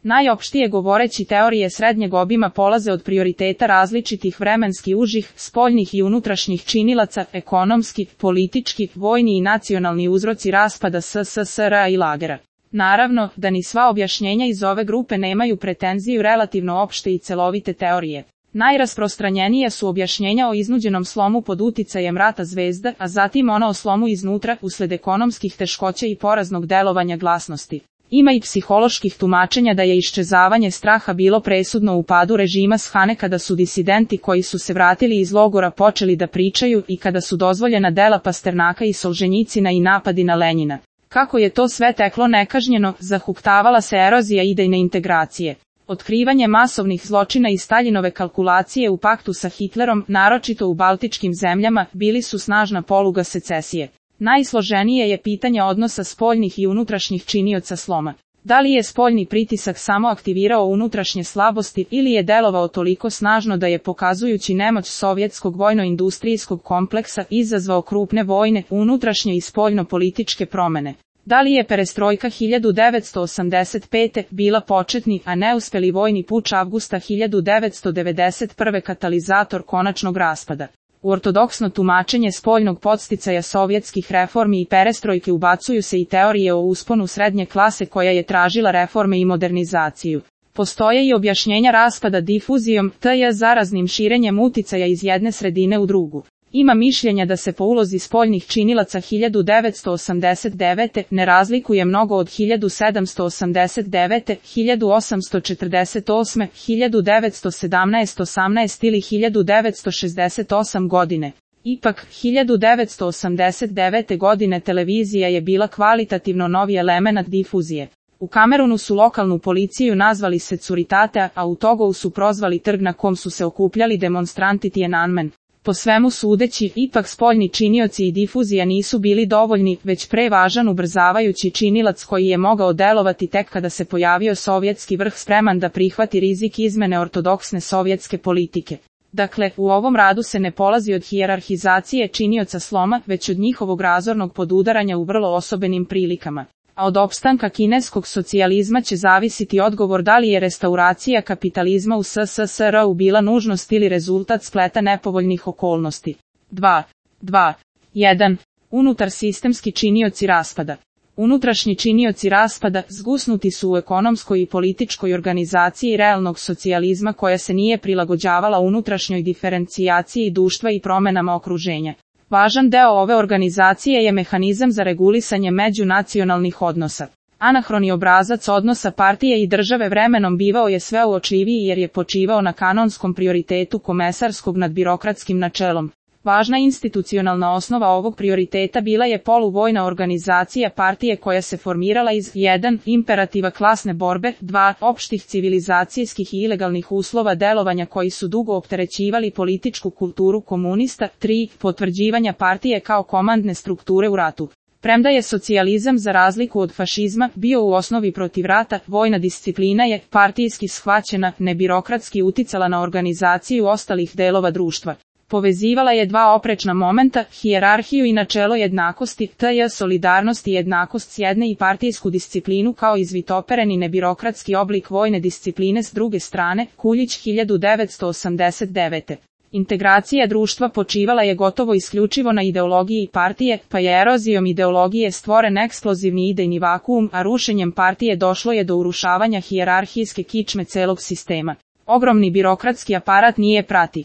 Najopštije govoreći, teorije srednjeg obima polaze od prioriteta različitih vremenski užih, spoljnih i unutrašnjih činilaca, ekonomski, politički, vojni i nacionalni uzroci raspada SSSR-a i lagera. Naravno, da ni sva objašnjenja iz ove grupe nemaju pretenziju relativno opšte i celovite teorije. Najrasprostranjenija su objašnjenja o iznuđenom slomu pod uticajem rata zvezda, a zatim ona o slomu iznutra usled ekonomskih teškoća i poraznog delovanja glasnosti. Ima i psiholoških tumačenja da je iščezavanje straha bilo presudno u padu režima Shane kada su disidenti koji su se vratili iz logora počeli da pričaju i kada su dozvoljena dela Pasternaka i Solženjicina i napadi na Lenjina. Kako je to sve teklo nekažnjeno, zahuktavala se erozija idejne integracije. Otkrivanje masovnih zločina i Staljinove kalkulacije u paktu sa Hitlerom, naročito u baltičkim zemljama, bili su snažna poluga secesije. Najsloženije je pitanje odnosa spoljnih i unutrašnjih činioca sloma. Da li je spoljni pritisak samo aktivirao unutrašnje slabosti ili je delovao toliko snažno da je, pokazujući nemoć sovjetskog vojno-industrijskog kompleksa, izazvao krupne vojne, unutrašnje i spoljno-političke promene? Da li je perestrojka 1985. bila početni, a neuspeli vojni puč avgusta 1991. katalizator konačnog raspada? U ortodoksno tumačenje spoljnog podsticaja sovjetskih reformi i perestrojke ubacuju se i teorije o usponu srednje klase koja je tražila reforme i modernizaciju. Postoje i objašnjenja raspada difuzijom, t.j. zaraznim širenjem uticaja iz jedne sredine u drugu. Ima mišljenja da se po ulozi spoljnih činilaca 1989. ne razlikuje mnogo od 1789., 1848., 1917., 18 ili 1968 godine. Ipak, 1989. godine televizija je bila kvalitativno novi element difuzije. U Kamerunu su lokalnu policiju nazvali Securitate, a u Togovu su prozvali trg na kom su se okupljali demonstranti Tiananmen. Po svemu sudeći, ipak spoljni činioci i difuzija nisu bili dovoljni, već prevažan ubrzavajući činilac koji je mogao delovati tek kada se pojavio sovjetski vrh spreman da prihvati rizik izmene ortodoksne sovjetske politike. Dakle, u ovom radu se ne polazi od hijerarhizacije činioca sloma, već od njihovog razornog podudaranja u vrlo osobenim prilikama. A od opstanka kineskog socijalizma će zavisiti odgovor da li je restauracija kapitalizma u SSSR-u bila nužnost ili rezultat spleta nepovoljnih okolnosti. 2.1. Unutar sistemski činioci raspada. Unutrašnji činioci raspada zgusnuti su u ekonomskoj i političkoj organizaciji realnog socijalizma koja se nije prilagođavala unutrašnjoj diferencijaciji društva i promenama okruženja. Važan deo ove organizacije je mehanizam za regulisanje međunacionalnih odnosa. Anahroni obrazac odnosa partije i države vremenom bivao je sve uočljiviji jer je počivao na kanonskom prioritetu komesarskog nad birokratskim načelom. Važna institucionalna osnova ovog prioriteta bila je poluvojna organizacija partije koja se formirala iz 1. imperativa klasne borbe, 2. opštih civilizacijskih i ilegalnih uslova delovanja koji su dugo opterećivali političku kulturu komunista, 3. potvrđivanja partije kao komandne strukture u ratu. Premda je socijalizam za razliku od fašizma bio u osnovi protiv rata, vojna disciplina je, partijski shvaćena, nebirokratski uticala na organizaciju ostalih delova društva. Povezivala je dva oprečna momenta, hijerarhiju i načelo jednakosti, t.j. solidarnost i jednakost s jedne i partijsku disciplinu kao izvitopereni nebirokratski oblik vojne discipline s druge strane, Kuljić 1989. Integracija društva počivala je gotovo isključivo na ideologiji partije, pa je erozijom ideologije stvoren eksplozivni idejni vakuum, a rušenjem partije došlo je do urušavanja hijerarhijske kičme celog sistema. Ogromni birokratski aparat nije prati.